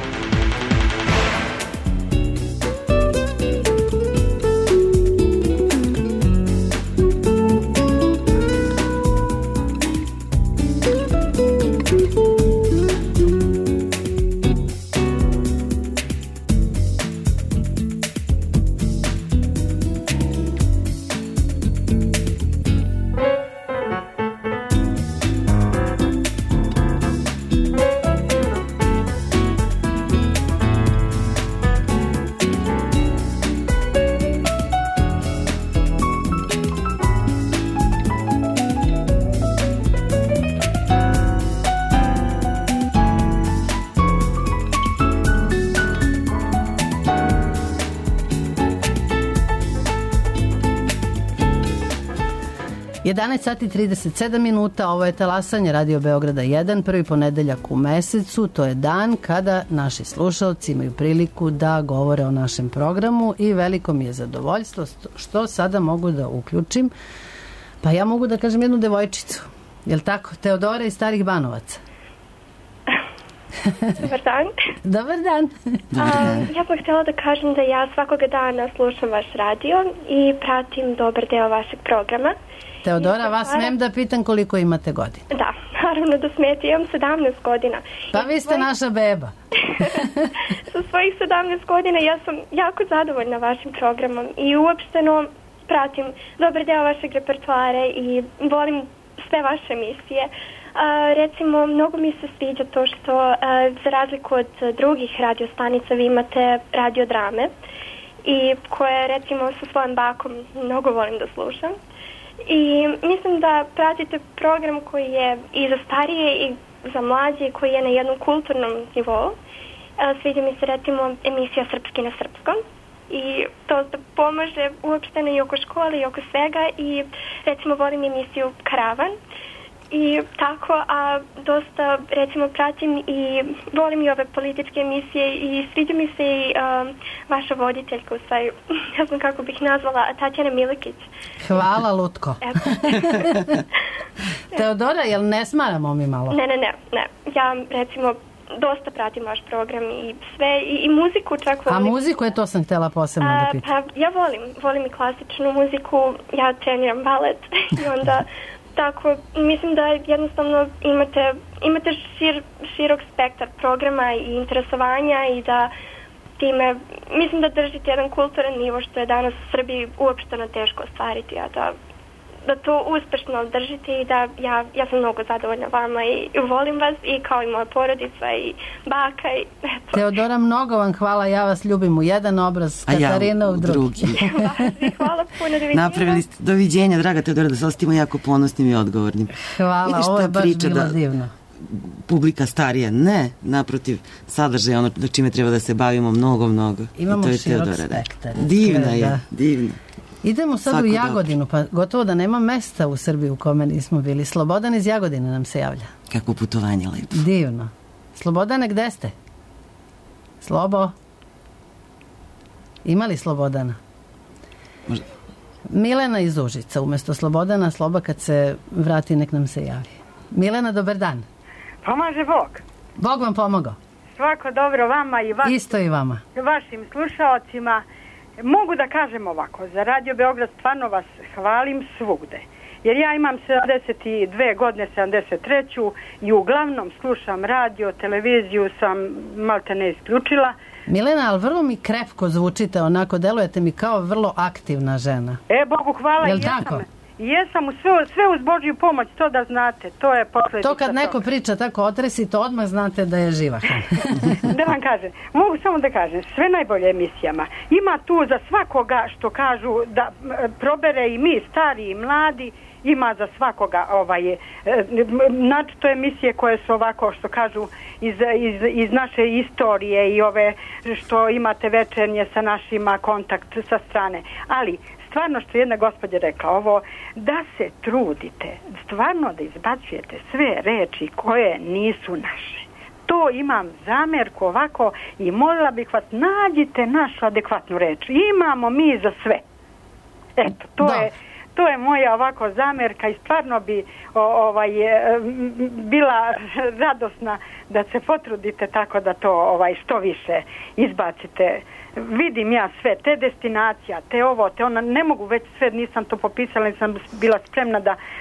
Speaker 5: Sati 37 minuta, ovo je talasanje Radio Beograda 1, prvi ponedeljak u mesecu, to je dan kada naši slušalci imaju priliku da govore o našem programu i veliko mi je zadovoljstvo što sada mogu da uključim, pa ja mogu da kažem jednu devojčicu, je li tako? Teodora iz Starih Banovaca.
Speaker 15: Dobar dan.
Speaker 5: Dobar dan.
Speaker 15: Ja bih htjela da kažem da ja svakoga dana slušam vaš radio i pratim dobar deo vašeg programa.
Speaker 5: Teodora, vas smem da pitam koliko imate godina?
Speaker 15: Da, naravno da smijete, imam 17 godina.
Speaker 5: Pa vi ste naša beba.
Speaker 15: Sa svojih 17 godina ja sam jako zadovoljna vašim programom i uopšteno pratim dobar deo vašeg repertoara i volim sve vaše emisije. Recimo, mnogo mi se sviđa to što za razliku od drugih radiostanica vi imate radiodrame i koje recimo sa svojim bakom mnogo volim da slušam. I mislim da pratite program koji je i za starije i za mlađe, koji je na jednom kulturnom nivou. Sviđa mi se recimo emisija Srpski na srpskom i to pomaže uopšteno i oko škole i oko svega i recimo volim emisiju Karavan i tako, a dosta recimo pratim i volim i ove političke emisije i sviđa mi se i vaša voditeljka, u stvari, ne znam kako bih nazvala, Tatjana Milikić.
Speaker 5: Hvala, Lutko. Teodora, jel ne smaramo mi malo?
Speaker 15: Ne. Ja recimo dosta pratim vaš program i sve, i muziku čak volim.
Speaker 5: A muziku je, to sam htjela posebno da pitam.
Speaker 15: Pa ja volim i klasičnu muziku, ja treniram balet i onda tako, mislim da jednostavno imate širok spektar programa i interesovanja i da time, mislim da držite jedan kulturan nivo što je danas u Srbiji uopšteno teško ostvariti, a da to uspešno držite i da ja sam mnogo zadovoljna vama i volim vas i kao i moja porodica i baka i eto.
Speaker 5: Teodora, mnogo vam hvala, ja vas ljubim u jedan obraz, Katarina u drugi.
Speaker 15: Hvala puno, doviđenja.
Speaker 6: Napravili ste, doviđenja, draga Teodora, da se ostimo jako ponosnim i odgovornim.
Speaker 5: Hvala, ovo je baš bilo divno.
Speaker 6: Publika starija, ne, naprotiv, sadržaj ono da čime treba da se bavimo mnogo.
Speaker 5: Imamo širok spektar.
Speaker 6: Divna je, divna.
Speaker 5: Idemo sad u Jagodinu, pa gotovo da nema mesta u Srbiji u kome nismo bili. Slobodan iz Jagodine nam se javlja.
Speaker 6: Kako putovanje lepo.
Speaker 5: Divno. Slobodane, gde ste? Slobo? Ima li Slobodana?
Speaker 6: Možda.
Speaker 5: Milena iz Užica, umesto Slobodana, Sloba kad se vrati nek nam se javi. Milena, dobar dan.
Speaker 16: Pomaže Bog.
Speaker 5: Bog vam pomogao.
Speaker 16: Svako dobro vama i
Speaker 5: isto i vama.
Speaker 16: Vašim slušaocima. Mogu da kažem ovako, za Radio Beograd stvarno vas hvalim svugde. Jer ja imam 72 godine, 73. i uglavnom slušam radio, televiziju sam malte ne isključila.
Speaker 5: Milena, ali vrlo mi krepko zvučite, onako delujete mi kao vrlo aktivna žena.
Speaker 16: Bogu hvala, jesam sve uz Božju pomoć, to da znate, to je posljedica.
Speaker 5: To kad neko priča tako otresito, odmah znate da je živahan.
Speaker 16: Da vam kažem, mogu samo da kažem, sve najbolje emisijama. Ima tu za svakoga što kažu da probere i mi, stari i mladi, ima za svakoga to emisije koje su ovako što kažu iz naše istorije i ove što imate večernje sa našima kontakt sa strane, ali stvarno što je jedna gospođa rekla ovo, da se trudite stvarno da izbacujete sve reči koje nisu naše. To imam zamjerku ovako i molila bih vas, nađite našu adekvatnu reč. Imamo mi za sve. Eto, to je moja ovako zamjerka i stvarno bi bila radosna da se potrudite tako da to što više izbacite. Vidim ja sve, te destinacija, te ovo, te ona, ne mogu već sve, nisam to popisala, nisam bila spremna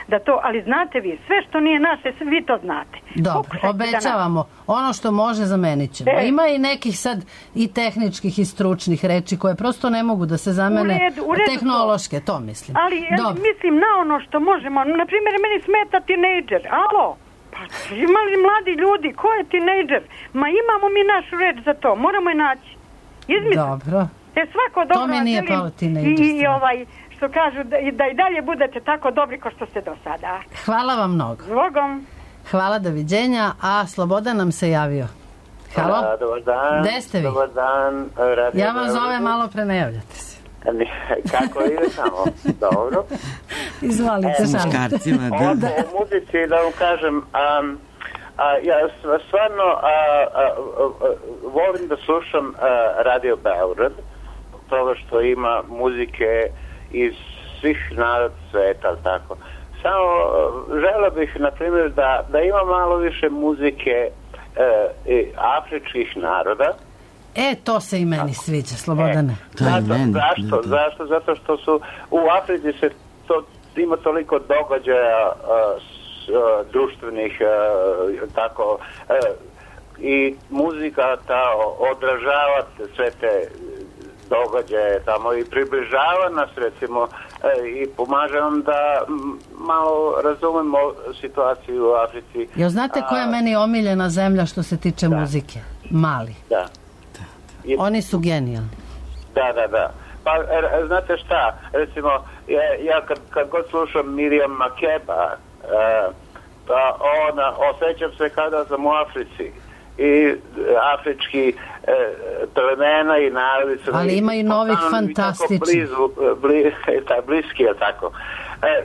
Speaker 16: da to, ali znate vi, sve što nije naše, vi to znate.
Speaker 5: Dobro, obećavamo, ono što može zamenit ćemo. Ima i nekih sad i tehničkih i stručnih reči koje prosto ne mogu da se zamene, tehnološke, to mislim.
Speaker 16: Ali mislim na ono što možemo, na primjer meni smeta tinejdžer, alo? Pa imali mladi ljudi, ko je tinejdžer? Ma imamo mi našu reč za to, moramo je naći.
Speaker 5: Dobro.
Speaker 16: Svako dobro
Speaker 5: to mi nije pao
Speaker 16: i što kažu da i dalje budete tako dobri kao što ste do sada.
Speaker 5: Hvala vam mnogo.
Speaker 16: Zbogom.
Speaker 5: Hvala, doviđenja. A Slobodan nam se javio. Halo?
Speaker 17: Dobar dan.
Speaker 5: Gde ste vi?
Speaker 17: Dobar dan.
Speaker 5: Ja vam zovem, malo pre ne javljate se.
Speaker 17: Kako ide samo? Dobro.
Speaker 5: Izvolite,
Speaker 6: muškarcima, da.
Speaker 17: O muzici da vam kažem, ja stvarno volim da slušam Radio Beograd, toga što ima muzike iz svih naroda sveta, tako. Samo želeo bih, na primjer, da ima malo više muzike afričkih naroda.
Speaker 5: To se i meni sviđa, Slobodane.
Speaker 17: Zašto? Zato što su u Africi se ima toliko događaja društvenih tako i muzika odražava sve te događaje tamo i približava nas recimo i pomaže nam da malo razumemo situaciju u Africi.
Speaker 5: Jel znate koja je meni omiljena zemlja što se tiče muzike? Mali.
Speaker 17: Da.
Speaker 5: Oni su genijalni.
Speaker 17: Da. Pa znate šta, recimo ja kad god slušam Miriam Makeba, pa osjećam se kada sam u Africi i afrički plemena i narodi su
Speaker 5: ali ima i novih fantastičnih
Speaker 17: bliski je tako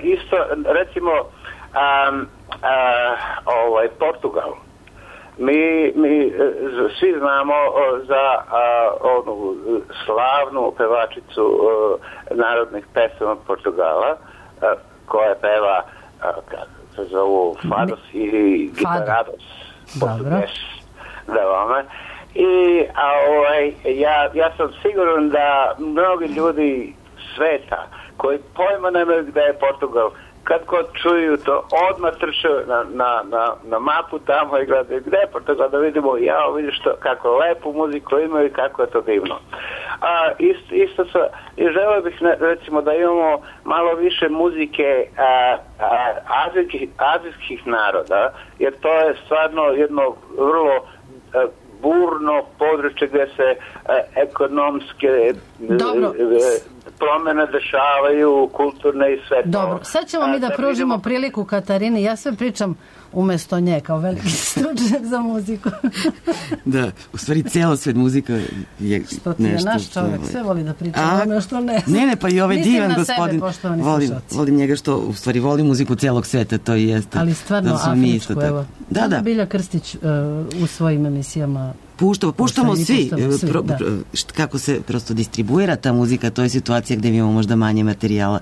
Speaker 17: isto recimo Portugal mi svi znamo za onu slavnu pevačicu narodnih pesama Portugala koja peva se zovu Fados i Gitarados portugeš da vama i ja sam siguran da mnogi ljudi sveta koji pojma nemaju gde je Portugal kad god čuju to, odmah trče na mapu tamo i gledaju gde, pa da vidimo, vidiš kako lepu muziku imaju i kako je to divno. I želeo bih recimo da imamo malo više muzike azijskih naroda, jer to je stvarno jedno vrlo burno područje gde se ekonomske promene dešavaju, kulturne i sve to.
Speaker 5: Dobro, sad ćemo mi da pružimo priliku Katarini. Ja sve pričam umesto nje kao veliki stručnjak za muziku.
Speaker 6: Da, u stvari cijelo svet muzika je
Speaker 5: što ti je
Speaker 6: nešto
Speaker 5: naš čovjek, sve voli da priča ono što ne.
Speaker 6: Ne, pa i ovaj divan gospodin.
Speaker 5: Sebe,
Speaker 6: volim njega što u stvari voli muziku cijelog sveta, to i jeste.
Speaker 5: Ali stvarno afričku, evo. Da. Bilja Krstić u svojim emisijama
Speaker 6: puštamo svi. Kako se prosto distribuira ta muzika, to je situacija gde mi imamo možda manje materijala.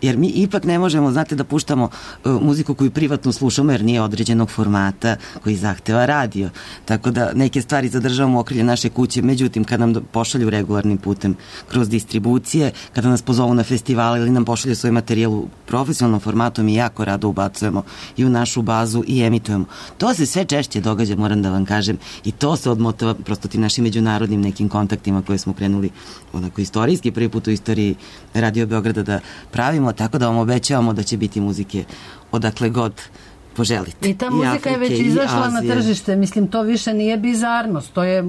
Speaker 6: Jer mi ipak ne možemo, znate, da puštamo muziku koju privatno slušamo, jer nije određenog formata koji zahteva radio. Tako da neke stvari zadržavamo u okrilju naše kuće. Međutim, kad nam pošalju regularnim putem kroz distribucije, kada nas pozovu na festivale ili nam pošalju svoj materijal u profesionalnom formatu, mi jako rado ubacujemo i u našu bazu i emitujemo. To se sve češće događa, moram da vam kažem, i to se odmotava prosto tim našim međunarodnim nekim kontaktima koje smo krenuli onako istorijski, prvi put u istoriji Radio Beograda da pravimo, tako da vam obećavamo da će biti muzike odakle god poželite.
Speaker 5: I ta muzika je već izašla na tržište, mislim, to više nije bizarnost, to je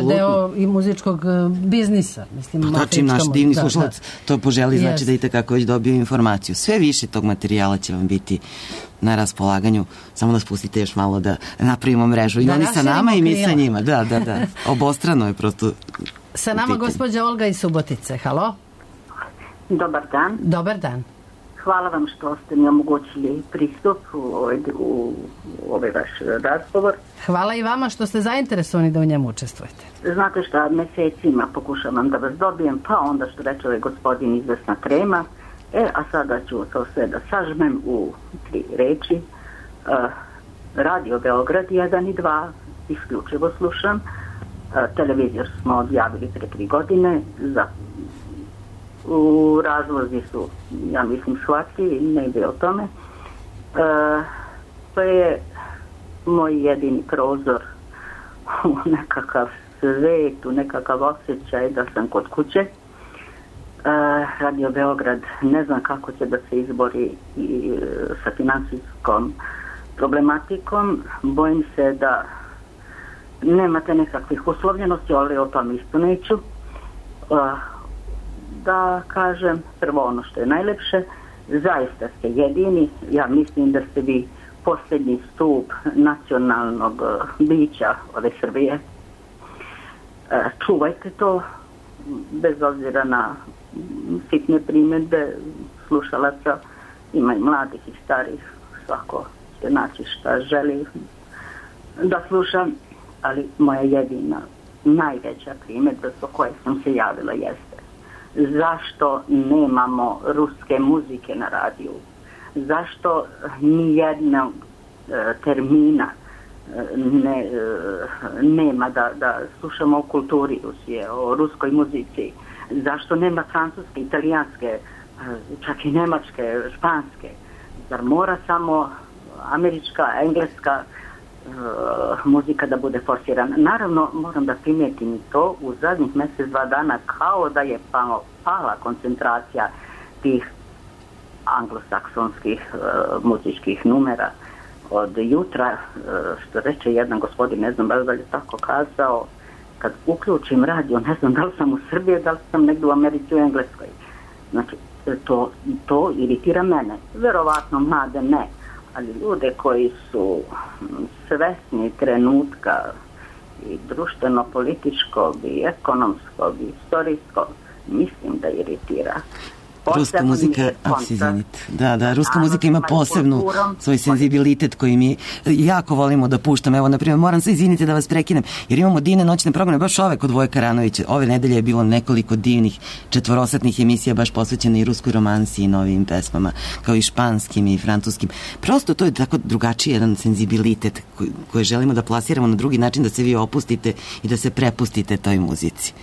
Speaker 5: deo i muzičkog biznisa.
Speaker 6: Pa čim naš divni slušalac to poželi, znači da i takako već dobio informaciju. Sve više tog materijala će vam biti na raspolaganju, samo nas pustite još malo da napravimo mrežu. I oni sa nama i mi sa njima. Da. Obostrano je prosto.
Speaker 5: Sa nama gospođa Olga iz Subotice. Halo?
Speaker 18: Dobar dan.
Speaker 5: Dobar dan.
Speaker 18: Hvala vam što ste mi omogućili pristup u ovaj vaš razgovor.
Speaker 5: Hvala i vama što ste zainteresovani da u njemu učestvujete.
Speaker 18: Znate šta, mesecima pokušavam da vas dobijem, pa onda što reče ovaj gospodin izvesna krema, a sada ću to sve da sažmem u 3 reči. Radio Beograd 1 i 2 isključivo slušam. Televizor smo odjavili pre 3 godine. U razlozi su, ja mislim, shvatili, ne ide o tome. To je moj jedini prozor u nekakav svet, u nekakav osjećaj da sam kod kuće. Radio Beograd ne znam kako će da se izbori sa finansijskom problematikom. Bojim se da nemate nekakvih uslovljenosti, ali o tom isto neću. Da kažem prvo ono što je najlepše, zaista ste jedini, ja mislim da ste vi posljednji stup nacionalnog bića ove Srbije. Čuvajte to, bez obzira na sitne primjedbe slušalaca, ima i mladih i starih, svako će naći šta želi da slušam, ali moja jedina, najveća primjedba zbog koje sam se javila jeste: zašto nemamo ruske muzike na radiju? Zašto nijednog termina nema da slušamo o kulturi Rusije, o ruskoj muzici? Zašto nema francuske, italijanske, čak i nemačke, španske? Zar mora samo američka, engleska muzika da bude forsirana? Naravno, moram da primetim to, u zadnjih mjesec, 2 dana kao da je pala koncentracija tih anglosaksonskih muzičkih numera. Od jutra, što reče jedan gospodin, ne znam da li je tako kazao, kad uključim radio, ne znam da li sam u Srbiji, da li sam negdje u Americi, u Engleskoj. Znači, to iritira mene. Verovatno mlade ne, ali ljude koji su svesni trenutka i društveno-političkog i ekonomskog i istorijskog, mislim da iritira.
Speaker 6: Ruska muzika, ruska muzika ima posebnu svoj senzibilitet koji mi jako volimo da puštamo. Evo, na primjer, moram se izviniti da vas prekinem, jer imamo divne noćne programe, baš ove kod Voje Karanovića. Ove nedelje je bilo nekoliko divnih 4-satnih emisija baš posvećene i ruskoj romansi i novim pesmama, kao i španskim i francuskim. Prosto to je tako drugačiji jedan senzibilitet koji želimo da plasiramo na drugi način, da se vi opustite i da se prepustite toj muzici.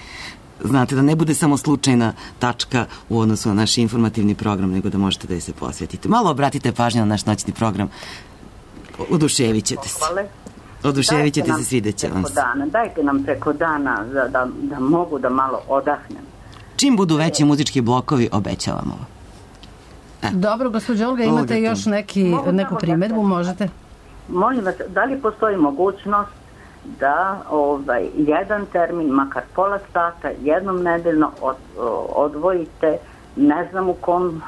Speaker 6: znate, da ne bude samo slučajna tačka u odnosu na naš informativni program, nego da možete da je se posvetite. Malo obratite pažnju na naš noćni program. Oduševit ćete se. Oduševit ćete se, svidet će vam se.
Speaker 18: Dajte nam preko dana da mogu da malo odahnem.
Speaker 6: Čim budu veći muzički blokovi, obećavamo ovo.
Speaker 5: Dobro, gospođo Olga, imate još neku primedbu, možete?
Speaker 18: Molim vas, da li postoji mogućnost da jedan termin, makar pola sata, jednom nedeljno odvojite, ne znam u kom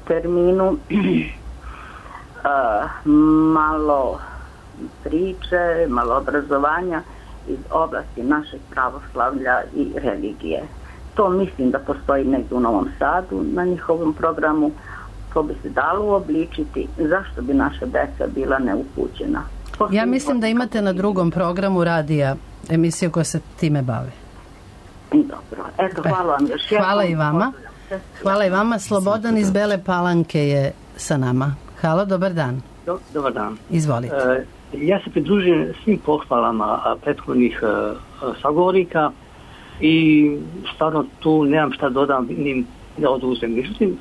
Speaker 18: terminu, malo priče, malo obrazovanja iz oblasti našeg pravoslavlja i religije. To mislim da postoji negdje u Novom Sadu na njihovom programu. To bi se dalo uobličiti. Zašto bi naša deca bila neupućena?
Speaker 5: Ja mislim da imate na drugom programu radija emisiju koja se time bave.
Speaker 18: Dobro. Eto, hvala vam još.
Speaker 5: Hvala i vama. Hvala i vama. Slobodan iz Bele Palanke je sa nama. Halo, dobar dan.
Speaker 19: Dobar dan.
Speaker 5: Izvolite.
Speaker 19: Ja se pridružujem svim pohvalama prethodnih sagovornika i stvarno tu nemam šta dodam ni da oduzem. Međutim,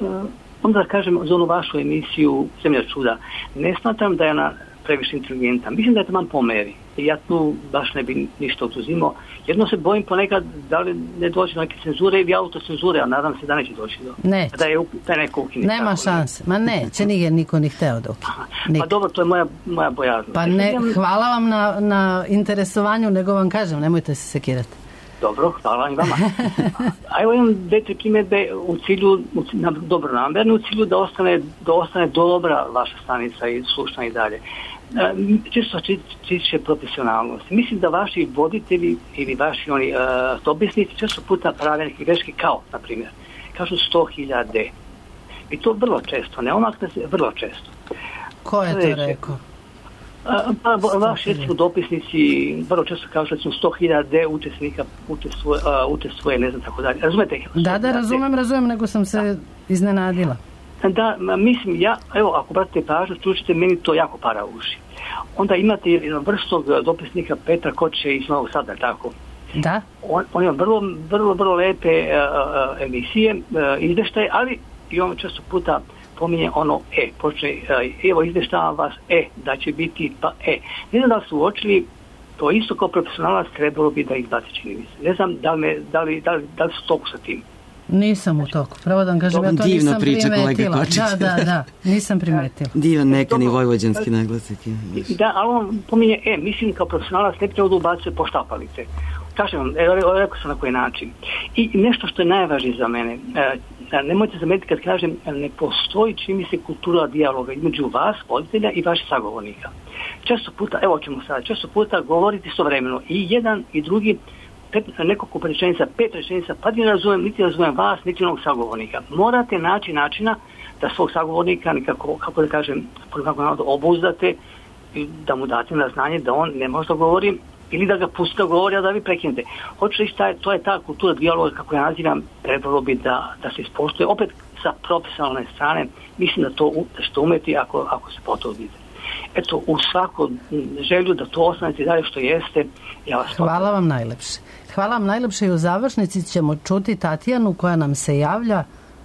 Speaker 19: onda kažem za onu vašu emisiju Zemlja čuda, ne smatram da je ona previše inteligentna. Mislim da je taman po meri. I ja tu baš ne bi ništa oduzimao. Jedno se bojim ponekad da li ne doći do neke cenzure ili autocenzure, a nadam se da neće doći do...
Speaker 5: Ne.
Speaker 19: Da je neko ukine.
Speaker 5: Nema šanse. Ma neće, nije niko ni hteo da ukine.
Speaker 19: Pa dobro, to je moja bojaznost.
Speaker 5: Pa ne, hvala vam na interesovanju, nego vam kažem, nemojte se sekirati.
Speaker 19: Dobro, hvala i vama. A evo imam dve primjedbe u cilju, dobronamerno, u cilju da ostane dobra vaša stanica i slušna i dalje. Čisto tiče profesionalnosti. Mislim da vaši voditelji ili vaši dopisnici često puta prave neke greške kao, na primjer, kažu 100.000. I to vrlo često, ne omakne se, vrlo često.
Speaker 5: Ko je to rekao?
Speaker 19: Pa vaši dopisnici vrlo često kažu da su 100.000 učesnika učestvuje, ne znam tako dalje. Razumete?
Speaker 5: Da, razumem, nego sam se iznenadila.
Speaker 19: Da, mislim, evo, ako pratite pažnju, slušajte, meni to jako para uši. Onda imate jednog vrstog dopisnika Petra Koče iz Novog Sada, tako?
Speaker 5: Da.
Speaker 19: On ima vrlo lepe emisije, izveštaje, ali i on često puta pominje ono počne, evo izveštavam vas, da će biti pa Ne znam da li su uočili, to isto kao profesionalac trebalo bi da izbaci, čini mi se. Ne znam da li su toku sa tim.
Speaker 5: Nisam u toku, pravo da vam kažem, ja to
Speaker 6: divno
Speaker 5: nisam
Speaker 6: priča,
Speaker 5: primetila. Da, nisam primetila.
Speaker 6: Divan mekani vojvođanski naglasak.
Speaker 19: Da, ali on pominje, mislim kao profesionalac ne treba da ubacuje poštapalice. Kažem vam, rekao sam na koji način. I nešto što je najvažnije za mene, nemojte zametiti kad kažem, ne postoji, čini mi se, kultura dijaloga između vas, voditelja i vaših sagovornika. Često puta govorite istovremeno i jedan i drugi, nekoliko rečenica, 5 rečenica, pa niti razumem vas, niti onog sagovornika. Morate naći načina da svog sagovornika nekako, kako da kažem, obuzdate i da mu date na znanje da on ne može da govori ili da ga pustite da govori, a da vi prekinete. Hoću reći, to je ta kultura dijaloga, kako ja nazivam, trebalo bi da se ispoštuje. Opet sa profesionalne strane, mislim da to što umeti ako se potrudite. Eto, u svaku želju da to ostanete dalje što jeste, ja vas potrudite.
Speaker 5: Hvala vam najlepše. Hvala vam najlepše i u završnici ćemo čuti Tatjanu koja nam se javlja.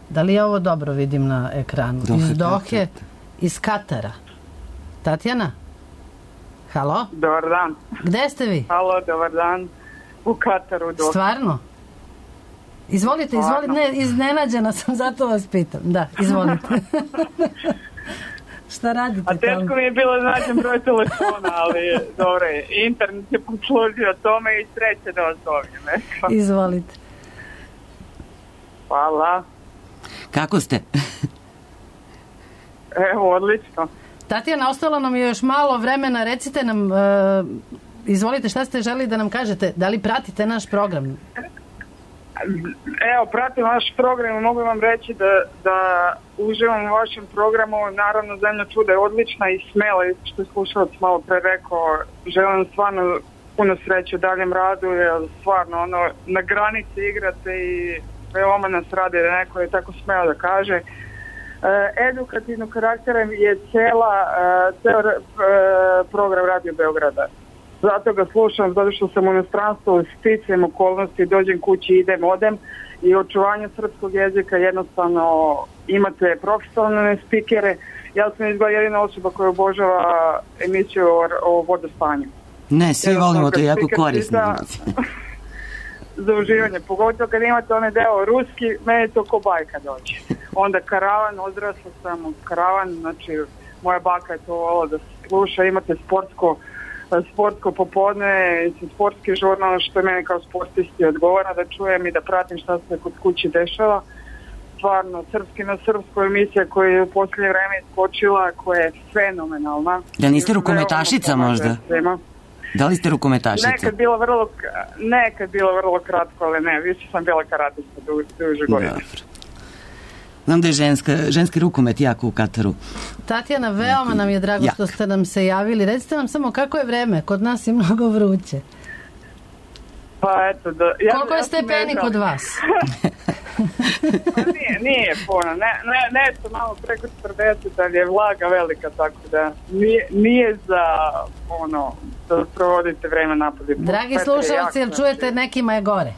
Speaker 5: Da li ja ovo dobro vidim na ekranu? Iz Dohe, iz Katara. Tatjana? Halo?
Speaker 20: Dobar dan.
Speaker 5: Gde ste vi?
Speaker 20: Halo, dobar dan. U Kataru.
Speaker 5: Stvarno? Izvolite, ne, iznenađena sam, zato vas pitam. Da, izvolite. Šta radite tamo?
Speaker 20: A teško mi je bilo nađem broj telefona, ali dobro je. Internet je poslužio tome i sreće da vas dobijem.
Speaker 5: Izvolite.
Speaker 20: Hvala.
Speaker 6: Kako ste?
Speaker 20: Evo, odlično.
Speaker 5: Tatjana, ostalo nam je još malo vremena. Recite nam, izvolite, šta ste želi da nam kažete? Da li pratite naš program?
Speaker 20: Evo, pratim vaš program i mogu vam reći da uživam u vašem programu. Naravno, Zemlja čuda je odlična i smela, i što je slušalac malo pre rekao. Želim stvarno puno sreće u daljem radu, jer stvarno na granici igrate i veoma nas radi da neko je tako smeo da kaže. Edukativnog karaktera je ceo program Radio Beograda. zato ga slušam, zato što sam u inostranstvu, sticajem okolnosti, dođem kući, idem, odem i očuvanje srpskog jezika jednostavno imate profesionalne spikere. Ja sam izgleda jedina osoba koja obožava emisiju o vodostanju.
Speaker 6: Ne, svi volimo, to je jako korisno.
Speaker 20: Za uživanje, pogotovo kad imate onaj deo ruski, meni to ko bajka dođe. Onda karavan, odrasla sam uz karavan, znači moja baka je to volila da se sluša, imate sportsko popodne, sportski žurnal, što je meni kao sportisti odgovara da čujem i da pratim šta se kod kući dešava. Stvarno, srpski na srpsku emisija koja je u posljednje vreme iskočila, koja je fenomenalna.
Speaker 6: Da niste rukometašica možda? Da li ste rukometašica?
Speaker 20: Nekad bilo vrlo kratko, ali ne, više sam bila karatista duže godine.
Speaker 6: Znam da je ženski rukomet jako u Kataru.
Speaker 5: Tatjana, veoma nam je drago što ste nam se javili. Recite nam samo kako je vreme, kod nas je mnogo vruće.
Speaker 20: Pa eto,
Speaker 5: koliko je stepeni kod vas?
Speaker 20: Nije puno, nešto malo preko 40, ali je vlaga velika, tako da nije za da provodite vreme napolje.
Speaker 5: Dragi slušalci, jel čujete, nekima je gore?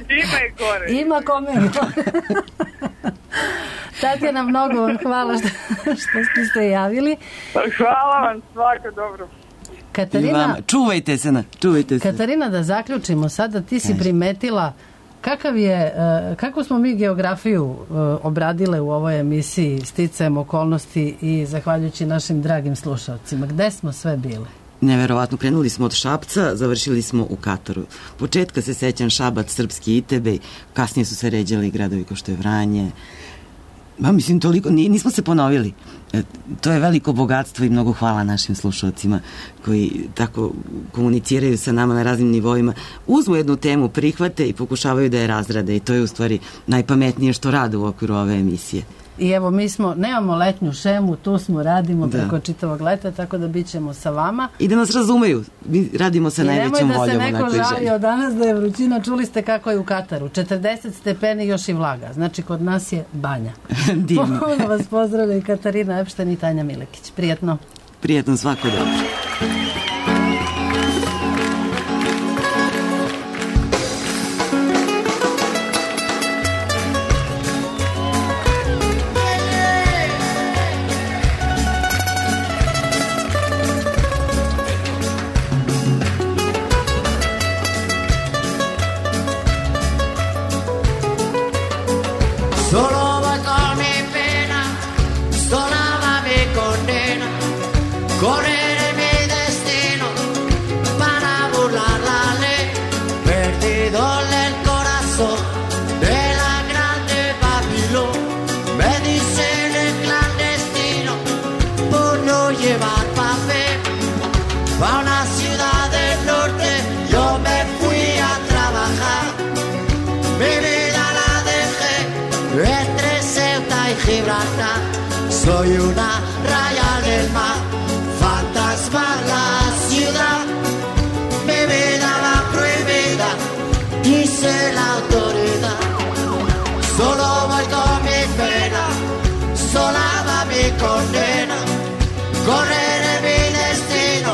Speaker 20: Ima i gore.
Speaker 5: Ima kome je gore. Tatjana, mnogo vam hvala što ste se javili.
Speaker 20: Hvala vam, svako dobro.
Speaker 5: Katarina,
Speaker 6: čuvajte se.
Speaker 5: Katarina, da zaključimo sada, ti si primetila kakvu smo mi geografiju obradile u ovoj emisiji sticajem okolnosti i zahvaljujući našim dragim slušalcima. Gde smo sve bile?
Speaker 6: Neverovatno, krenuli smo od Šapca, završili smo u Kataru. Početka se sećam Šabac, Srpski Itebej, kasnije su se ređali gradovi kao što je Vranje. Mislim, toliko, nismo se ponovili. To je veliko bogatstvo i mnogo hvala našim slušalcima koji tako komuniciraju sa nama na raznim nivoima. Uzmu jednu temu, prihvate i pokušavaju da je razrade i to je u stvari najpametnije što rade u okviru ove emisije.
Speaker 5: I evo, mi nemamo letnju šemu, tu smo, radimo preko čitavog leta, tako da bit ćemo sa vama.
Speaker 6: I da nas razumeju, mi radimo sa najvećom voljom.
Speaker 5: I nemoj da se neko žalio danas da je vrućina, čuli ste kako je u Kataru, 40 stepeni još i vlaga, znači kod nas je banja.
Speaker 6: Divno.
Speaker 5: Ponovno vas pozdravljaju Katarina Epšten i Tanja Milekić. Prijetno.
Speaker 6: Prijetno, svako dobro.
Speaker 21: Soy una raya del mar, fantasma la ciudad, mi vida va prohibida, dice la autoridad. Solo voy con mi pena, sola va mi condena, correré mi destino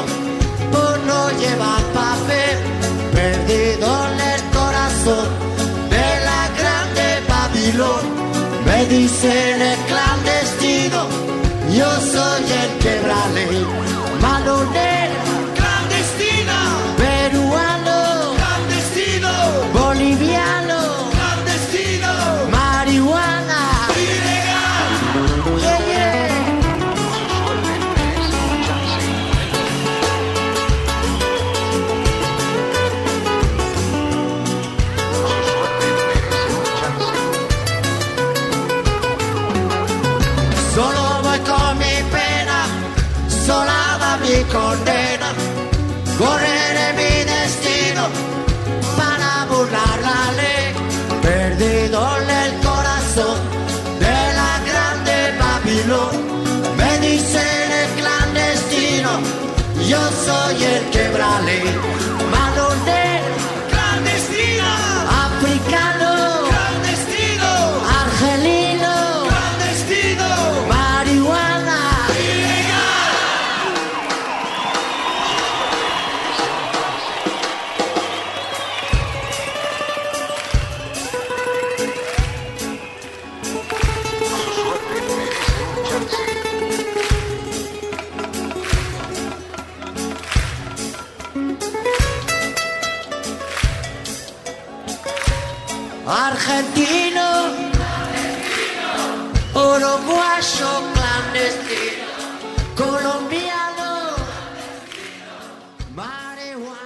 Speaker 21: por no llevar papel, perdido en el corazón de la grande Babilón. Me dicen el clandestino, yo soy el quebrale, malonero, clandestino, peruano, clandestino, boliviano, clandestino, marihuana, ilegal, yeah, yeah. Solo voy con mi pena, sola va mi condena, correré mi destino para burlar la ley, perdido en el corazón de la grande Babilón. Me dicen el clandestino, yo soy el quebrale, malonero, clandestino, africano, clandestino, argelino, clandestino, marihuana, ilegal. argentino, uruguayo clandestino, colombiano, marihuana.